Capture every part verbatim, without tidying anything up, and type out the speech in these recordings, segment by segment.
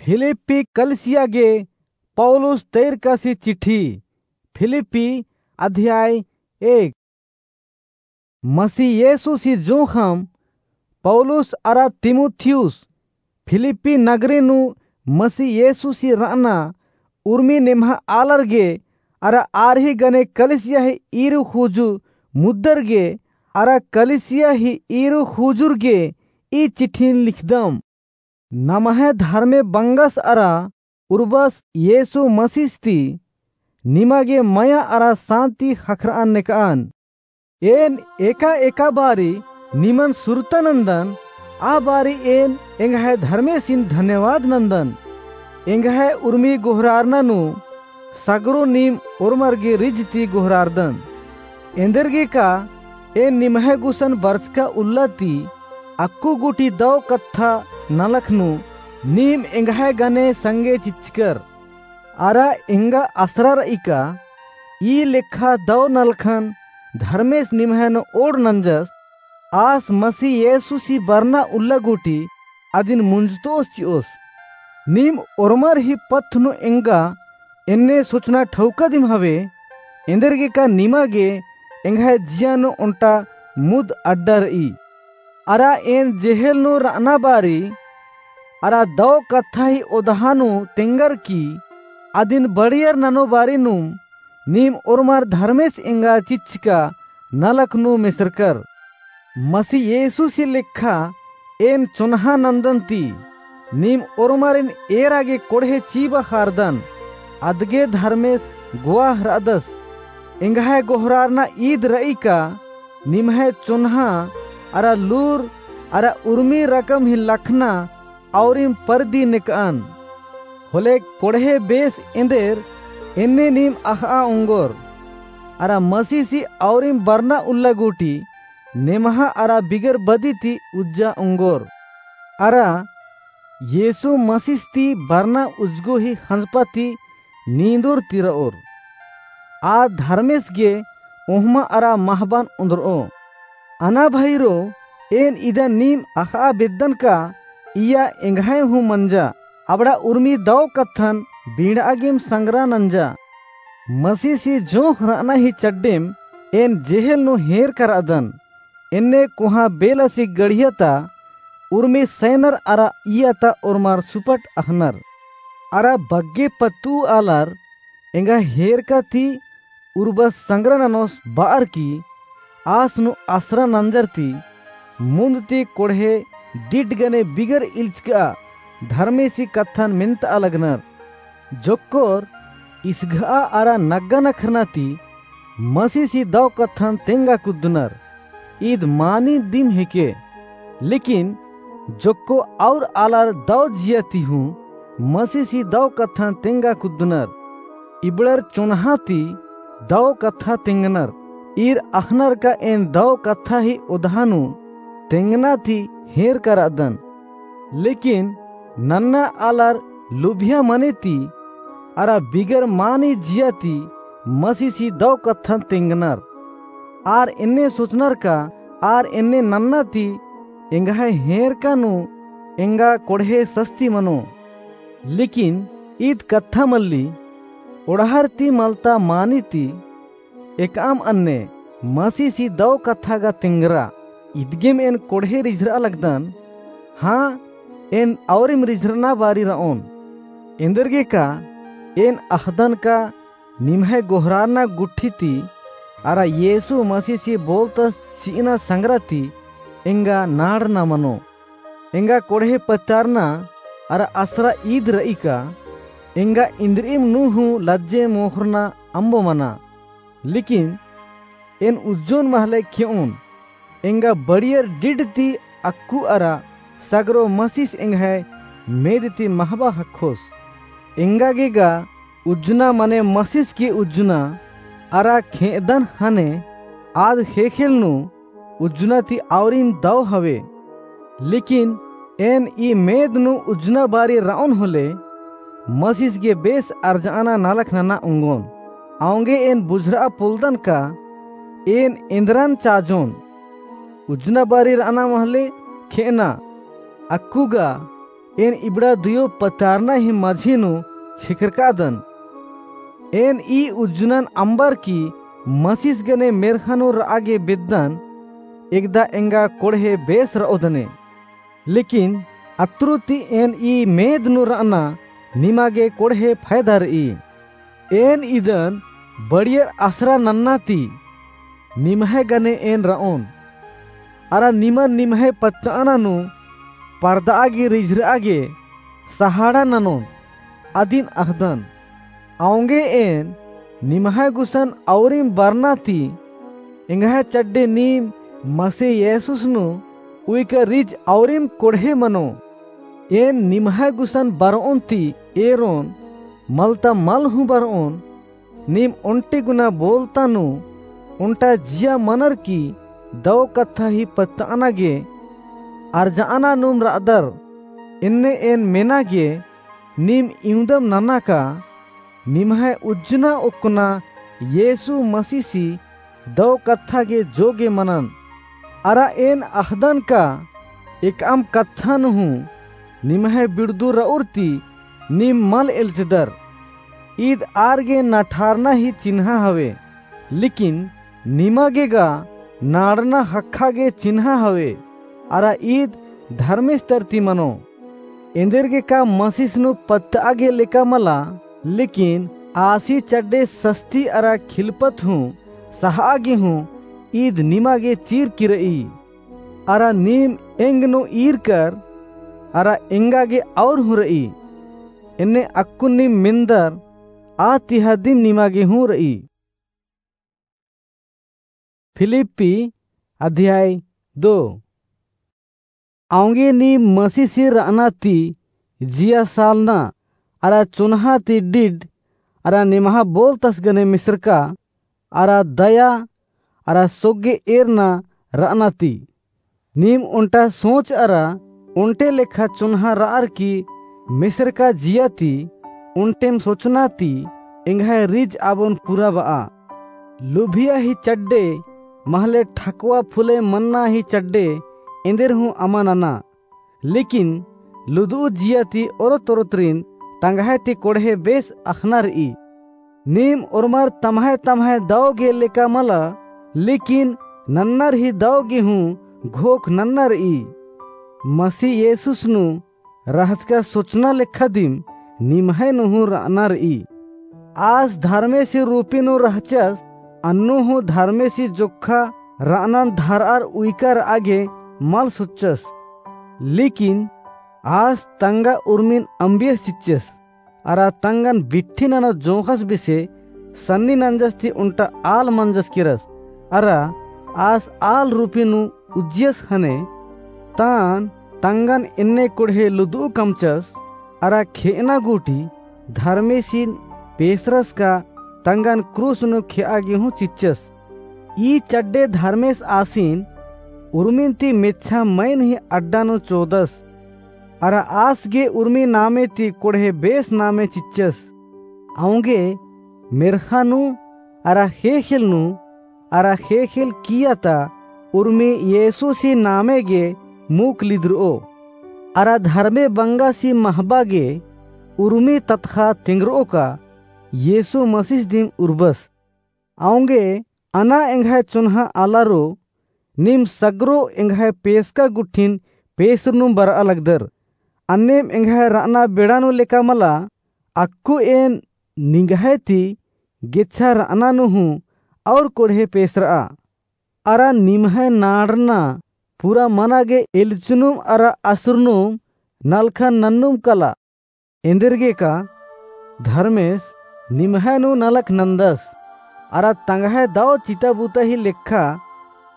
फिलिप्पी कलिसिया गे पौलुस तैरकासी चिट्ठी। फिलिप्पी अध्याय एक। मसीह येसूसी जोंख़म पौलुस अरा तीमुथियुस फिलिप्पी नगरी नू मसीह येसूसी रअना उर्मी निम्है आलर गे अरा आर ही गने कलिसिया ही ईरू ख़ूजू मुद्दर गे अरा कलिसिया ही ईरू ख़ूजुर गे ई चिट्ठिन लिखदम। नम्है धर्मे बंगस अरा उर्बस येसु मसीस ती निमा गे मया अरा सान्ति ख़क्खरअन नेकअन। एन एका-एका बारी निमन सुरता नन्दन, आ बारी एन एंग्है धर्मेसिन धन्यवाद नन्दन। एंग्है उर्मी गोहरारना नू सगरो नीम ओर्मर गे रिझ ती गोहरारदन। एन्देरगेका एन निम्है गुसन बरचका उल्ला ती अक्कु गूटी दौ कत्था नलख नू नीम एंग्है गने संगे चिच्चकर। अरा एंगा असरा र'ई का ई लेखा दौ नलखन धर्मेस निम्है नू ओड़ नंजस, आस मसीह येसुसी बरना उल्ला गूटी अदिन मुंजतोस चि'ओस। नीम ओर्मर ही पत्थ नू एंगा एन्ने सोचना ठौका दिम हवे, एन्देरगेका निमा गे एंग्है जिया नू ओन्टा मुद अड्डा र'ई। अरा एन जेहेल नू र'अना बारी अरा दौ कत्था ही ओदहा नू तेंगर की अदिन बड़ियर ननो बारी नूम नीम ओर्मर धर्मेस एंगा चिच्चका नलख नू मेसरकर। मसीह येसुसी लेखा एन चोन्हा नन्दन ती नीम ओर्मरिन एरा गे कोड़हे चीबा ख़ारदन, अदगे धर्मेस गुवाह र'अदस। एंग्है गोहरारना ईद र'ई का निम्है चोन्हा अरा लूर अरा उर्मी रकम ही लखना औरिम परदी नेकअन। होले कोड़हे बेस एन्देर एन्ने नीम अख़'आ ओंगोर। अरा मसीसी औरिम बरना उल्ला गूटी नेम्हा अरा बिगर बदी ती उज्जा ओंगोर। अरा येसु मसीस ती बरना उज्जगो ही ख़ंजपा ती नींदोर ती र'ओर। आ धर्मेस गे ओहमा अरा महबान ओन्द्र'ओ। अना भइरो, एन इदा नीम अख़'आ बेद्दन का इया एंग्है हूँ मंजा, अबड़ा उर्मी दौ कत्थन बींड़'आ गेम संगरा नंजा। मसीसी जोंख़ र'अना ही चड्डेम एन जेहेल नू हेरका र'अदन। एन्ने कोहाँ बेलसी गड़िया ता उर्मी सैनर अरा इया ता ओर्मर सुपट अख़नर। अरा बग्गे पत्तु आलर एंगा हेरका ती उर्बस संगरा ननोस ब'अर की आस नू असरा नंजर ती मुन्द ती कोड़हे डिड गने बिगर इल्चक'आ धर्मेसी कत्थन मेन्त'आ लगनर। जोक्कोर इसघ'आ अरा नग्गा नखरना ती मसीसी दौ कत्थन तेंगा कुद्दनर। ईद मानी दिम हेके। लेकिन जोक्को और आलर दौ जिया ती हूँ मसीसी दौ कत्थन तेंगा कुद्दनर। इबड़र चोन्हा ती दौ कत्था तेंगनर। ईर अख़नर का एन दौ कत्था ही ओदहा नू तेंगना ती हेरका र'अदन। लेकिन नन्ना आलर लुभिया मने ती अरा बिगर मानी जिया ती मसीसी दौ कत्थन तेंगनर। आर एन्ने सोचनर का आर एन्ने नन्ना ती एंग्है हेरका नू एंगा कोड़हे सस्ती मनो। लेकिन ईद कत्था मल्ली, ओड़हर ती मलता मानी ती एकअम अन्ने मसीसी दौ कत्था गा तेंगरा। इदगेम एन कोड़हे रिझर'आ लगदन, हाँ, एन औरिम रिझर'अना बारी र'ओन। एन्देरगेका एन अख़दन का निम्है गोहरारना गुट्ठी ती अरा येसु मसीसी बोलतस चि'अना संगरा ती एंगा नाड़ना मनो। एंगा कोड़हे पत्तारना अरा असरा ईद र'ई का एंगा इन्द्रिइम नू हूँ लज्जे मोख़रना अम्बो मना। लेकिन एन उज्जोन महले खे'ओन, एंगा बड़ियर डिड ती अक्कु अरा सगरो मसीस एंग्है मेद ती महबा ख़क्खोस। एंगा गे गा उज्जना मने मसीस गे उज्जना अरा खे'अदन ख़ने आद ख़ेख़ेल नू उज्जना ती औरिम दौ हवे। लेकिन एन ई मेद नू उज्जना बारी र'ओन होले मसीस गे बेस अर्ज'अना नलख नना ओंगोन। औंगे एन बुझर'आ पोलदन का एन एन्द्रन चाजोन। उज्जना बारी र'अना महले खे'अना अक्कु गा एन इबड़ा दुयो पतारना ही मझी नू छिखरकादन। एन ई उज्जनन अम्बर की मसिस गने मेर्ख़ा नू र'आ गे बेद्दन, एकदा एंगा कोड़हे बेस र'ओदने। लेकिन अत्रु ती एन ई मेद नू र'अना निमा गे कोड़हे फैदा र'ई। एन इदन बड़ियर असरा नन्ना ती निम्है गने एन र'ओन। अरा निमन निम्है पत्त'अना नू परद'आ गे रिझर'आ गे सहाड़ा ननोन अदिन अख़दन। औंगे एन निम्है गुसन औरिम बरना ती एंग्है चड्डे नीम मसीह येसुस नू उइका रिझ औरिम कोड़हे मनो। एन निम्है गुसन बर'ओन ती एरोन, मल ता मल हूँ बर'ओन, नीम ओन्टे गुना बोलता नू ओन्टा जिया मनर की दौ कत्था ही पत्त'अना गे अरज'अना नूम र'अदर, एन्ने एन मेना गे नीम इवंदम नना का, निम्है उज्जना ओक्कना येसु मसीसी दौ कत्था गे जोगे मनन। अरा एन अख़दन का एकअम कत्थन हूँ निम्है बिड़दु र'उर ती नीम मल एल्चदर। ईद आर गे नठारना ही चिन्हा हवे, लेकिन निमा गे गा नाड़ना ख़क्खा गे चिन्हा हवे। अरा ईद धर्मेस तरती मनो। एन्देरगे का मसीस नू पत्त'आ गे लेका मला, लेकिन आसी चड्डे सस्ती अरा खिलपत हूँ सहा'आ गे हूँ ईद निमा गे चीर की र'ई। अरा नीम एंग नू ईरकर अरा एंगा गे और हूँ र'ई। एन्ने अक्कुन नीम मेन्दर आ तिहादिम निमा गे हूँ र'ई। फिलिप्पी अध्याय दो। औंगे नीम मसीसी र'अना ती जिया सालना अरा चुन्हा ती डिड अरा निम्है बोलतस गने मिसरका अरा दया अरा सोग्गे एरना र'अना ती। नीम ओन्टा सोच अरा ओन्टे लेखा चुन्हा र'अर की मिसरका जिया ती ओन्टेम सोचना ती एंग्है रिझ आबोन पूरा ब'आ। लुभिया ही चड्डे महले ठकवा फुले मन्ना ही चड्डे एन्देर हूँ अमा नना। लेकिन लुदु'उ जिया ती ओरोत ओरोतरिन तंग्है ती कोड़हे बेस अख़ना र'ई। नीम ओर्मर तम्है तम्है दौ गे लेका मला, लेकिन नन्नर ही दौ गे हूँ घोख नन्ना र'ई। मसीह येसुस नू रहचका सोचना लेखा दिम निम्है नू हूँ र'अना र'ई। आस धर्मेसी रूपी नू रहचस, अन्नु हूँ धर्मेसी जोक्खा र'अनन धर'अर उइका र'आ गे मल सोच्चस। लेकिन आस तंगा उर्मिन अम्बियस चिच्चस। अरा तंगन बिट्ठी नना जोंख़स बेसे सन्नी नंजस ती ओन्टा आल मंजस केरस। अरा आस आल रूपी नू उज्जियस ख़ने तान तंगन एन्ने कोड़हे लुदु'उ कमचस। अरा खे'अना गूटी धर्मेसिन पेसरस का तंगन क्रूस नू खे'आ गे हूँ चिच्चस। ई चड्डे धर्मेस आसिन उर्मिन ती मेच्छा मइन ही अड्डा नू चोदस। अरा आस गे उर्मी नामे ती कोड़हे बेस नामे चिच्चस। औंगे मेर्ख़ा नू अरा ख़ेख़ेल नू अरा ख़ेख़ेल किया ता उर्मी येसुसी नामे गे मूक लिदर'ओ। अरा धर्मे बंगासी महबा गे उर्मी ततख़ा तेंगर'ओ का येसु मसीस दिम उर्बस। औंगे अना एंग्है चोन्हा आलारो, नीम सगरो एंग्है पेसका गुट्ठिन पेसरनुम बर'आ लगदर। अन्नेम एंग्है र'अना बेड़ा नू लेका मला, अक्कु एन निंग्है ती गेच्छा र'अना नू हूँ और कोड़हे पेसर'आ। अरा निम्है नाड़ना पूरा मना गे एल्चनुम अरा असरनुम नलखन नन्नुम कला। एन्देरगे का धर्मेस निम्है नू नलख नन्दस, अरा तंग्है दौ चिता बुता ही लेखा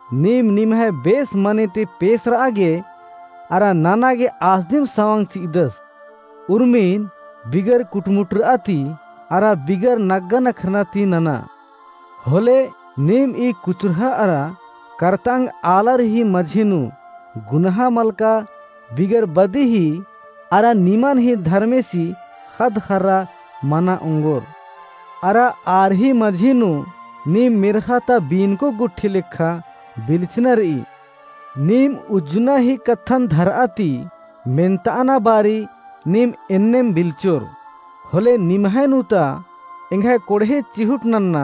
नीम निम्है बेस मने ती पेसर'आ गे अरा नना गे आस दिम सवंग चि'अदस। उर्मिन बिगर कुटमुटर'आ ती अरा बिगर नग्गा नखरना ती नना। होले नीम ई कुचुरहा अरा करतंग आलर ही मझी नू गुनहा मलका बिगर बदी ही अरा निमन ही धर्मेसी ख़द्द ख़र्रा मना ओंगोर। अरा आर ही मझी नू नीम मेर्ख़ा ता बीनको गुट्ठी लेखा बिलचना र'ई। नीम उज्जना ही कत्थन धर'आ ती मेन्ताअना बारी नीम एन्नेम बिल्चोर। होले निम्है नू ता एंग्है कोड़हे चिहुट नन्ना,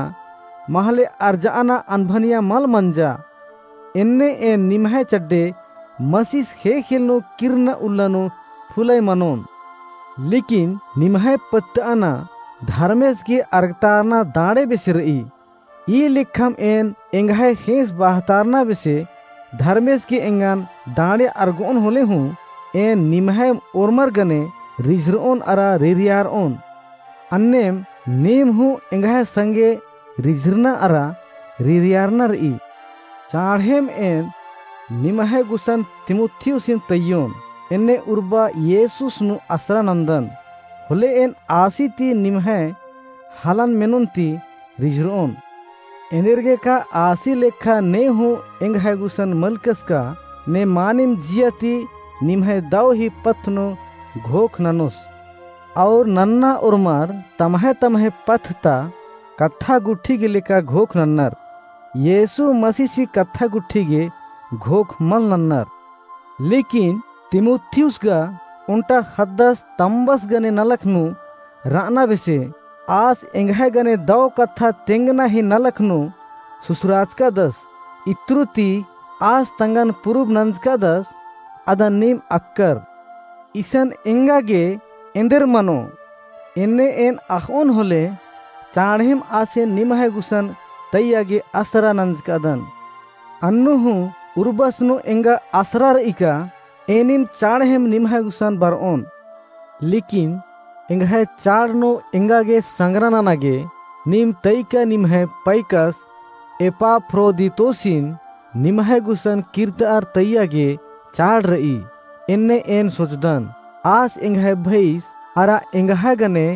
महले अर्जाअना अनभनिया मल मंजा। एन्ने एन निम्है चड्डे मसीस ख़ेख़ेल नू किर्रना उल्ला नू फुलय मनोन। लेकिन निम्है पत्तअना धर्मेस गे अरगतारना दाड़े बेसे र'ई। ई लेखम एन एंग्है ख़ेंस बहतारना बेसे धर्मेस गे एंगन दाड़े अरगोन होले हूँ, एन निम्है ओर्मर गने रिझर'ओन अरा रिरियार'ओन। अन्नेम नीम हूँ एंग्है संगे रिझरना अरा रिरियारना र'ई। चाँड़हेम एन निम्है गुसन तीमुथिउसिन तइयोन, एन्ने उर्बा येसुस नू असरा नन्दन। होले एन आसी ती निम्है हलन मेनोन ती रिझर'ओन। एन्देरगे का आसी लेखा ने हूँ एंग्है गुसन मलकस का, ने मानिम जिया ती निम्है दौ ही पथ नू घोख ननोस। और नन्ना ओर्मर तम्है तम्है पथ ता कत्था गुट्ठी गे लेखा घोख नन्नर। येसु मसीसी कत्था गुट्ठी गे घोख मल नन्नर। लेकिन तीमुथिउस गा ओन्टा ख़द्दस तम्बस गने नलख नू र'अना बेसे, आस एंग्है गने दौ कत्था तेंगना ही नलख नू सुसराचकादस। इत्रु ती आस तंगन पुरुब नंजकादस, अदन नीम अक्कर। इसन एंगा गे एन्देर मनो, एन्ने एन अख़'ओन होले, चाँड़हेम आसेन निम्है गुसन तइया गे असरा नंजकादन। अन्नु हूँ उर्बस नू एंगा असरा र'ई का, एनिम चाँड़हेम निम्है गुसन बर'ओन। लेकिन एंग्है चाड़ नू एंगा गे संगरा नना गे, नीम तइका निम्है पैकस एपाफ्रोदीतोसिन निम्है गुसन किर्रतार तइया गे चाड़ र'ई। एन्ने एन सोचदन, आस एंग्है भइस अरा एंग्है गने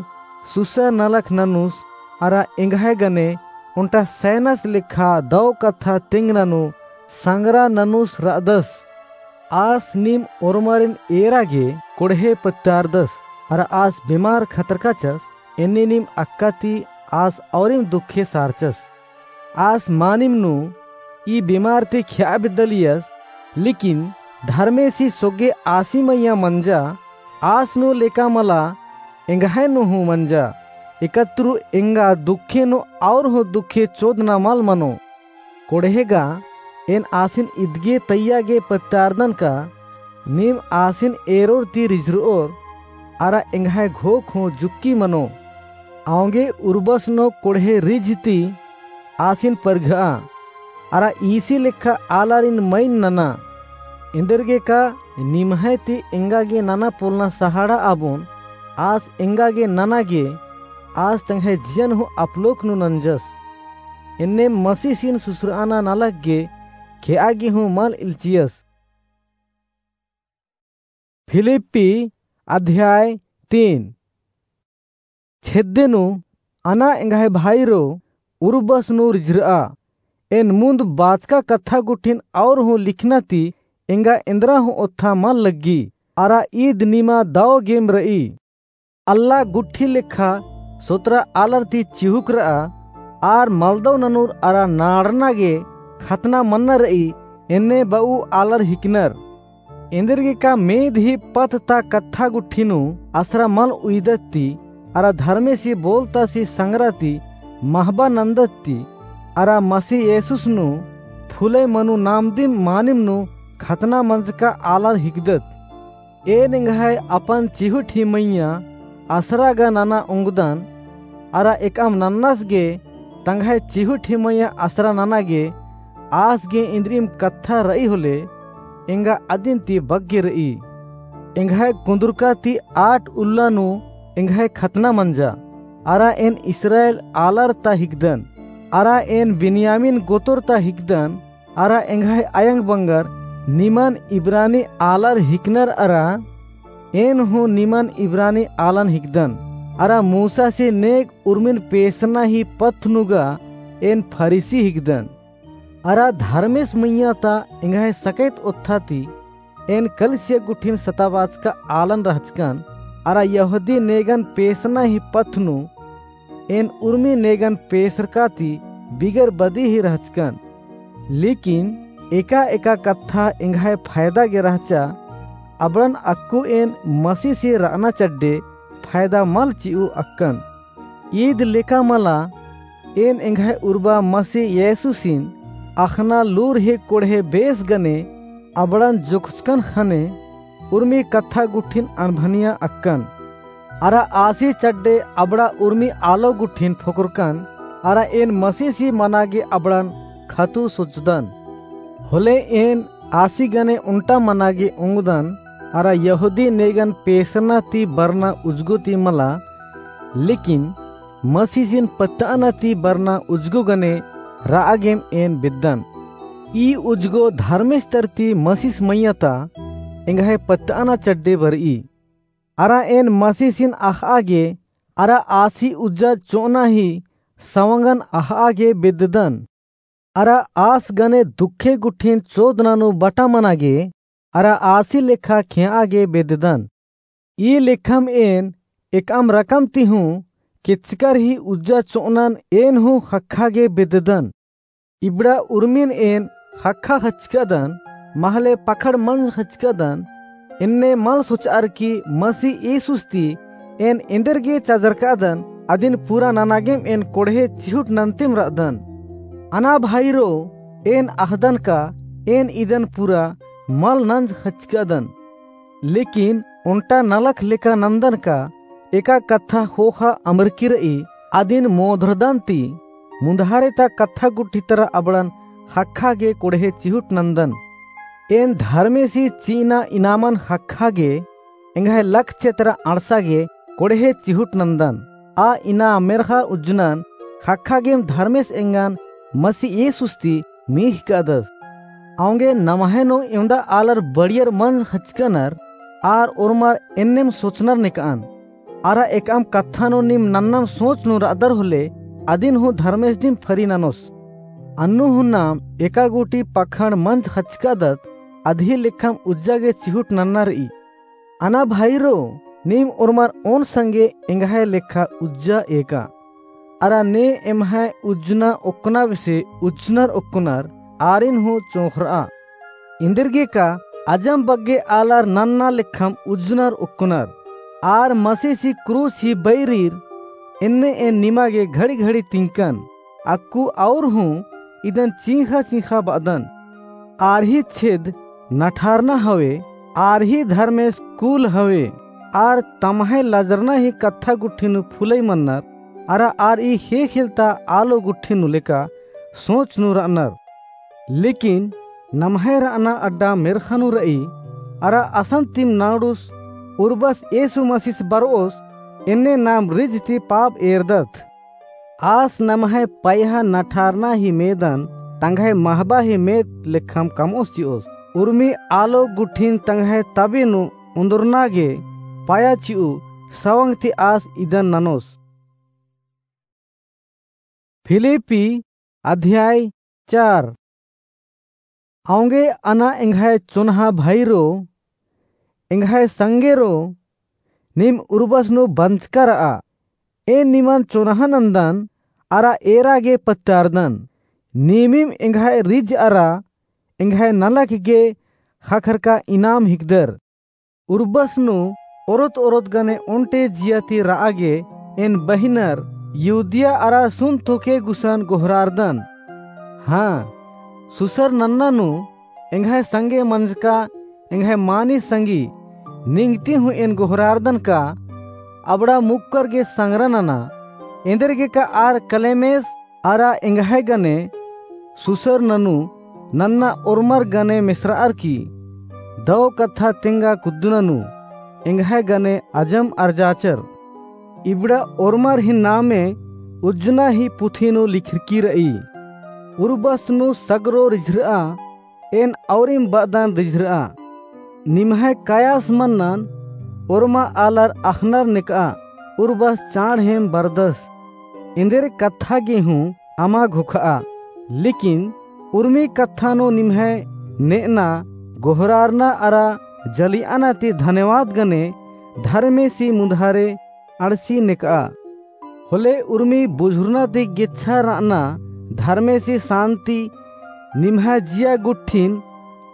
सुसर नलख ननुस अरा एंग्है गने ओन्टा सैनस लेखा दौ कत्था तेंगना नू संगरा ननुस र'अदस। आस नीम ओर्मरिन एरा गे कोड़हे पत्तारदस, अरा आस बेमार खतरकाचस, एन्ने नीम अक्का ती आस औरिम दुखे सारचस। आस मानिम नू ई बेमार ती ख्या बेद्दालियस, लेकिन धर्मेसी सोग्गे आसी मइय्याँ मंजा, आस नू लेका मला एंग्है नू हूँ मंजा। एकत्रु एंगा दुखे नू और हूँ दुखे चोदना मल मनो। कोड़हे गा एन आसिन इदगे तइया गे पत्तारदन का, नीम आसिन एरोर ती रिझर'ओर, अरा एंग्है घोख हूँ जुक्की मनो। औंगे उर्बस नू कोड़हे रिझ ती आसिन परघ'आ, अरा ईसी लेखा आलारिन मइन नना। एन्देरगे का निम्है ती एंगा गे नना पोलना सहाड़ा आबोन, आस एंगा गे नना गे, आस तंग्है जियन हूँ अपलोक नू नंजस। एन्ने मसीसिन सुसराना नलख गे खेआ गे हूँ मल इल्चियस। फिलिप्पी अध्याय तीन। छेद्दे नू अना एंग्है भाईरो, उर्बस नू रिझर'आ। एन मुन्द बाचका कत्था गुट्ठिन और हूँ लिखना ती एंगा एन्द्रा हूँ ओत्था मल लग्गी। अरा ईद निमा दौ गेम र'ई। अल्ला गुट्ठी लेखा सोतरा आलर ती चिहुक र'आ, आर मलदौ ननुर अरा नाड़ना गे खतना मन्ना र'ई, एन्ने ब'ऊ आलर हिकनर। एन्देरगे का मेद ही पथ ता कत्था गुट्ठी नू असरा मल उइदत ती, अरा धर्मेसी बोलतासी संगरा ती महबा नन्दत ती, अरा मसीह येसुस नू फुलय मनु नामदिम मानिम नू खतना मंजका आलर हिकदत। एन एंग्है अपन चिहुट ही मइय्याँ असरा गा नना ओंगदन, अरा एकअम नन्नस गे तंग्है चिहुट ही मइय्याँ असरा नना गे आस गे इन्द्रिइम कत्था र'ई होले, एंगा अदिन ती बग्गे र'ई। एंग्है कुन्दुरका ती आठ उल्ला नू एंग्है खतना मंजा, अरा एन इस्राएल आलर ता हिकदन, अरा एन बिन्यामीन गोतर ता हिकदन, अरा एंग्है अयंग बंगर निमन इब्रानी आलर हिकनर अरा एन हूँ निमन इब्रानी आलन हिकदन। अरा मूसासी नेग उर्मिन पेसना ही पथ नू गा एन फरीसी हिकदन। अरा धर्मेस मइय्याँ ता एंग्है सकैत ओत्था ती एन कलिसिया गुट्ठिन सताबाचका आलन रहचकन, अरा यहूदी नेगन पेसना ही पथ नू एन उर्मी नेगन पेसरका ती बिगर बदी ही रहचकन। लेकिन एका-एका कत्था एंग्है फायदा गे रहचा, अबड़न अक्कु एन मसीसी र'अना चड्डे फायदा मल चि'ऊ अक्कन। ईद लेका मला एन एंग्है उर्बा मसी येसुसिन अख़ना लूर ही कोड़हे बेस गने अबड़न जोखचकन ख़ने उर्मी कत्था गुट्ठिन अनभनिया अक्कन। अरा आसी चड्डे अबड़ा उर्मी आलो गुट्ठिन फोकरकन, अरा एन मसीसी मना गे अबड़न खतु सोचदन। होले एन आसी गने ओन्टा मना गे ओंगदन, अरा यहूदी नेगन पेसरना ती बरना उजगो ती मला, लेकिन मसीसिन पत्त'अना ती बरना उजगो गने र'आ गेम एन बेद्दन। ई उजगो धर्मेस तरती मसीस मइय्याँ ता एंग्है पत्त'अना चड्डे बर'ई। अरा एन मसीसिन अख़'आ गे, अरा आसी उज्जा चो'अना ही सवंगन अख़'आ गे बेद्ददन। अरा आस गने दुखे गुट्ठिन चोदना नू बटा मना गे, अरा आसी लेखा खे'आ गे बेद्ददन। ई लेखम एन एकअम रकम ती हूँ केचकर ही उज्जा चो'अनन एन हूँ ख़क्खा गे बेद्ददन। इबड़ा उर्मिन एन ख़क्खा ख़च्चकदन, महले पखड़ मंज ख़च्चकदन। एन्ने मल सोच'अर की मसी येसुस ती एन एन्देर गे चजरकदन, अदिन पूरा नना गेम एन कोड़हे चिहुट नन्तेम र'अदन। अना भाईरो, एन अख़दन का एन इदन पूरा मल नंज ख़च्चकदन। लेकिन ओन्टा नलख लेका नन्दन का एका कत्था ख़ोख़ा अमरकी र'ई, अदिन मोधरदन ती मुन्धारे ता कत्था गुट्ठी तरा अबड़न ख़क्खा गे कोड़हे चिहुट नन्दन। एन धर्मेसी चि'अना इनामन ख़क्खा गे एंग्है लक्ष्य तरा अंड़सा गे कोड़हे चिहुट नन्दन। आ इनाम मेर्ख़ा उज्जनन ख़क्खा गेम धर्मेस एंगन मसी येसुस ती मीख़ कादस। औंगे नम्है नू एवंदा आलर बड़ियर मंज ख़च्चकनर, आर ओर्मर एन्नेम सोचनर नेक'अन। अरा एकअम कत्था नू नीम नन्नम सोच नू र'अदर होले, अदिन हूँ धर्मेस दिम फरी ननोस। अन्नु हूँ नाम एका गूटी पखड़ मंज ख़च्चकादत, अदही लेखम उज्जा गे चिहुट नन्ना र'ई। अना भाईरो, नीम ओर्मर ओन संगे एंग्है लेखा उज्जा एका। अरा ने एम्है उज्जना ओक्कना बेसे उज्जनर ओक्कनर आरिन हूँ चोंख़र'आ। एन्देरगेका अजम बग्गे आलर नन्ना लेखम उज्जनर ओक्कनर। आर मसीसी क्रूस ही बैरीर, एन्ने एन निमा गे घड़ी-घड़ी तिंकन। अक्कु और हूँ इदन चींख़ा-चींख़ा ब'अदन। आर ही छेद नठारना हवे, आर ही धर्मेस कूल हवे, आर तम्है लजरना ही कत्था गुट्ठी नू फुलई मन्नर, अरा आर ई ख़ेख़ेल ता आलो गुट्ठी नू लेका सोच नू र'अनर। लेकिन नम्है र'अना अड्डा मेर्ख़ा नू र'ई, अरा असन तिम नाड़ुस उर्बस येसु मसीस बर'ओस, एन्ने नाम रिझ ती पाप एरदत। आस नम्है पयहा नठारना ही मेदन तंग्है महबा ही मेद लेखम कम'ओस चि'ओस। उर्मी आलो गुट्ठिन तंग्है तबी नू ओन्दरना गे पया चि'ऊ सवंग ती आस इदन ननोस। फिलिप्पी अध्याय चार। औंगे अना एंग्है चोन्हा भाईरो, एंग्है संगेरो, नीम उर्बस नू बंचका र'आ। एन निमन चोन्हा नन्दन, अरा एरा गे पत्तारदन। नीमिम एंग्है रिझ अरा एंग्है नलख गे ख़क्खरका इनाम हिकदर। उर्बस नू ओरोत-ओरोत गने ओन्टे जिया ती र'आ गे एन बहिनर यहूदिया अरा सुन्त होके गुसन गोहरारदन। हाँ, सुसर नन्ना नू एंग्है संगे मंजका एंग्है मानिस संगी निंग्ती हूँ एन गोहरारदन का अबड़ा मुक्कर गे संगरा नना। एन्देरगेका आर क्लेमेस अरा एंग्है गने सुसर ननू नन्ना ओर्मर गने मेसर'अर की दौ कत्था तेंगा कुद्दना नू एंग्है गने अजम अरजाचर। इबड़ा ओर्मर ही नामे उज्जना ही पुथी नू लिखरकी र'ई। उर्बस नू सगरो रिझर'आ, एन औरिम ब'अदन रिझर'आ। निम्है कयास मन्नन ओर्मा आलर अख़नर नेक'आ, उर्बस चाँड़हेम बरदस। एन्देर कत्था गे हूँ अमा घोख'आ। लेकिन उर्मी कत्था नू निम्है ने'अना, गोहरारना अरा जलि'अना ती धन्यवाद गने धर्मेसी मुन्धारे अंड़सी नेक'आ। होले उर्मी बुझुरना ती गेच्छा र'अना धर्मेसी सान्ति निम्है जिया गुट्ठिन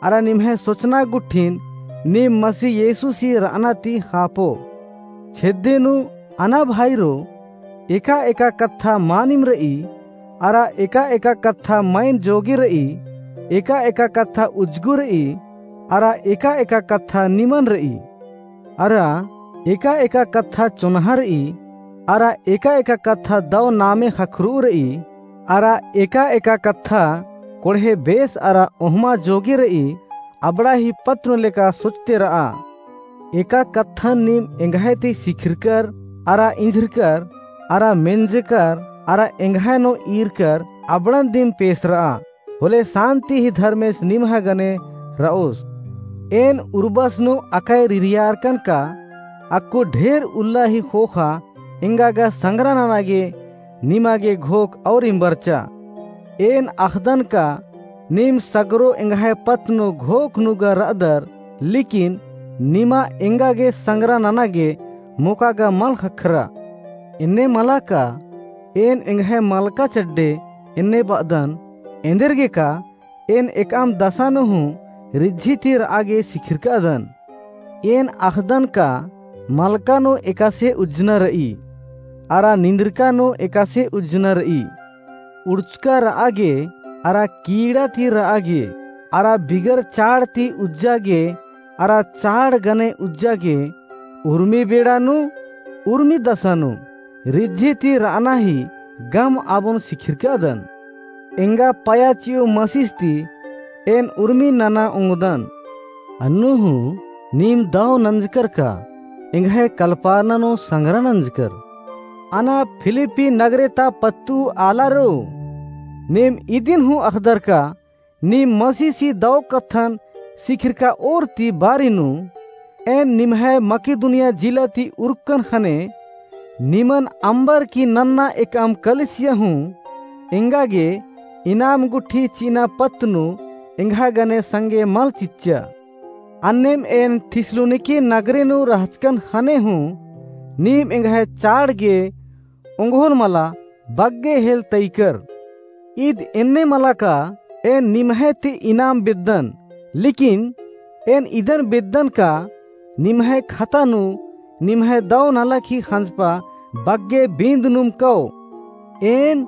अरा निम्है सोचना गुट्ठिन नीम मसीह यीशुसी र'अना ती ख़ापो। छेद्दे नू अना भाईरो, एका-एका कत्था मानिम र'ई, अरा एका-एका कत्था मइन जोगी र'ई, एका-एका कत्था उज्जगु र'ई, अरा एका-एका कत्था निमन र'ई। अरा एका-एका कत्था चोन्हा र'ई, अरा एका-एका कत्था दौ नामे ख़क्खर'ऊ र'ई, अरा एका-एका कत्था कोड़हे बेस अरा ओहमा जोगी र'ई, अबड़ा ही पत्त नू लेका सोचते र'आ। एका कत्थन नीम एंग्है ती सिखिरकर, अरा इंझिरकर, अरा मेंजकर, अरा एंग्है नू ईरकर अबड़न दिम पेस र'आ। होले सान्ति ही धर्मेस निम्है गने र'ओस। एन उर्बस नू अकय रिरियारकन का, अक्कु ढेर उल्ला ही ख़ोख़ा एंगा गा संग्रा नना गे निमा गे घोख और इम्बरचा। एन अख़दन का, नीम सगरो एंग्है पत्त नू घोख नू गा र'अदर, लेकिन निमा एंगा गे संग्रा नना गे मोका गा मल ख़क्खरा। एन्ने मला का, एन एंग्है मलका चड्डे एन्ने ब'अदन, एन्देरगे का एन एकअम दसा नू हूँ रिझी ती र'आ गे सिखिरकादन। एन अख़दन का मलका नू एकासे उज्जना र'ई, अरा निंदरका नू एकासे उज्जना र'ई। उड़चका र'आ गे, अरा कीड़ा ती र'आ गे, अरा बिगर चाड़ ती उज्जा गे, अरा चाड़ गने उज्जा गे, उर्मी बेड़ा नू, उर्मी दसा नू, रिझी ती र'अना ही गम आबोन सिखिरकादन। एंगा पया चि'ओ मसीस ती एन उर्मी नना ओंगदन। अन्नु हूँ नीम दौ नंजकर का, एंग्है कलपारना नू संग्रा नंजकर। अना फिलिप्पी नगरे ता पत्तू आलारो, नीम इदिन हूँ अख़दर का, नीम मसीसी दौ कत्थन सिखिरका ओर ती बारी नू, एन निम्है मकिदुनिया जिला ती उरकन ख़ने, निमन अम्बर की नन्ना एकअम कलिसिया हूँ, एंगा गे इनाम गुट्ठी चि'अना पत्त नू एंग्है गने संगे मल चिच्चा। अन्नेम एन थिस्सलुनीके नगरे नू रहचकन ख़ने हूँ, नीम एंग्है चाड़ गे ओंगोन मला बग्गे हेल तइकर। ईद एन्ने मला का एन निम्है ती इनाम बेद्दन, लेकिन एन इदन बेद्दन का निम्है खता नू निम्है दौ नलख ही ख़ंजपा बग्गे बींद नुम कओ। एन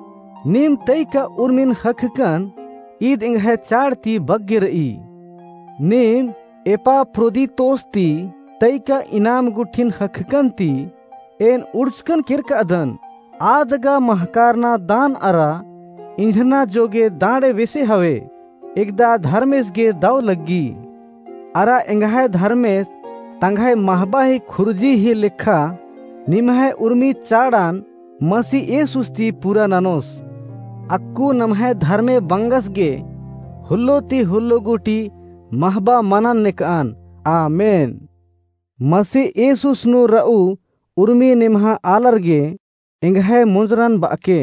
नीम तइका उर्मिन ख़क्खकन, ईद एंग्है चाड़ ती बग्गे र'ई। नीम एपाफ्रोदीतोस ती तइका इनाम गुट्ठिन ख़क्खकन ती एन उड़चकन केरकादन। आद गा महकारना दान अरा इंझना जोगे दांड़े बेसे हवे, एकदा धर्मेस गे दौ लग्गी। अरा एंग्है धर्मेस तंग्है महबा ही खुर्जी ही लेखा निम्है उर्मी चाड़ान मसी येसुस ती पूरा ननोस। अक्कु नम्है धर्मे बंगस गे हुल्लो ती हुल्लो गूटी महबा मनन नेकआन। आमेन। मसी येसुस नू र'ऊ उर्मी निम्हा आलर गे एंग्है मोंजरन ब'अके।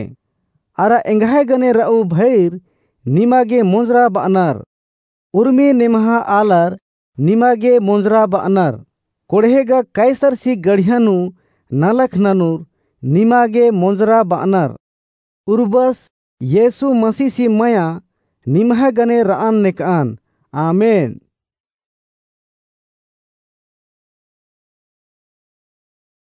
अरा एंग्है गने र'ऊ भइर निमा गे मोंजरा ब'अनर। उर्मी निम्हा आलर निमा गे मोंजरा ब'अनर। कोड़हे गा कैसरसी गड़िया नू नलख ननुर निमा गे मोंजरा ब'अनर। उर्बस येसु मसीसी मया निम्है गने र'अन नेकआन। आमेन।